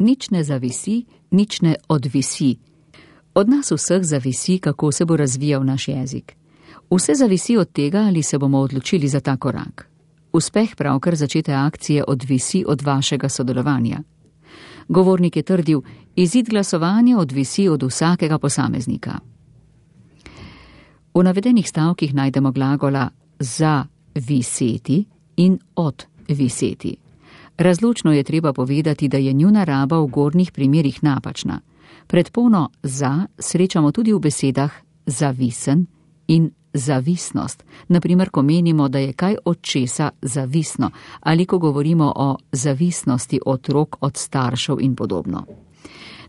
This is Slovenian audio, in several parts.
Nič ne zavisi, nič ne odvisi. Od nas vseh zavisi, kako se bo razvijal naš jezik. Vse zavisi od tega, ali se bomo odločili za ta korak. Uspeh pravkar začete akcije odvisi od vašega sodelovanja. Govornik je trdil, izid glasovanja odvisi od vsakega posameznika. V navedenih stavkih najdemo glagola za viseti in od viseti. Razločno je treba povedati, da je njuna raba v gornjih primerih napačna. Predpono za srečamo tudi v besedah zavisen in zavisnost, naprimer, ko menimo, da je kaj od česa zavisno, ali ko govorimo o zavisnosti otrok od staršev in podobno.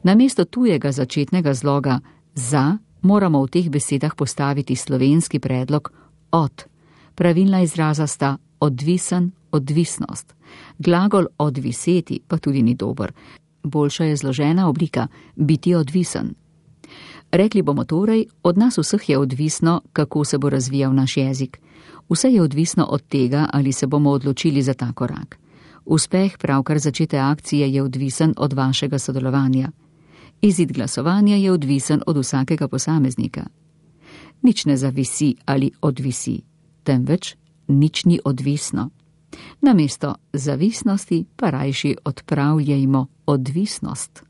Namesto tujega začetnega zloga za moramo v teh besedah postaviti slovenski predlog od. Pravilna izraza sta odvisen, odvisnost. Glagol odviseti pa tudi ni dober. Boljša je zložena oblika biti odvisen. Rekli bomo torej, od nas vseh je odvisno, kako se bo razvijal naš jezik. Vse je odvisno od tega, ali se bomo odločili za ta korak. Uspeh pravkar začete akcije je odvisen od vašega sodelovanja. Izid glasovanja je odvisen od vsakega posameznika. Nič ne zavisi ali odvisi, temveč nič ni odvisno. Namesto zavisnosti pa rajši odpravljajmo odvisnost.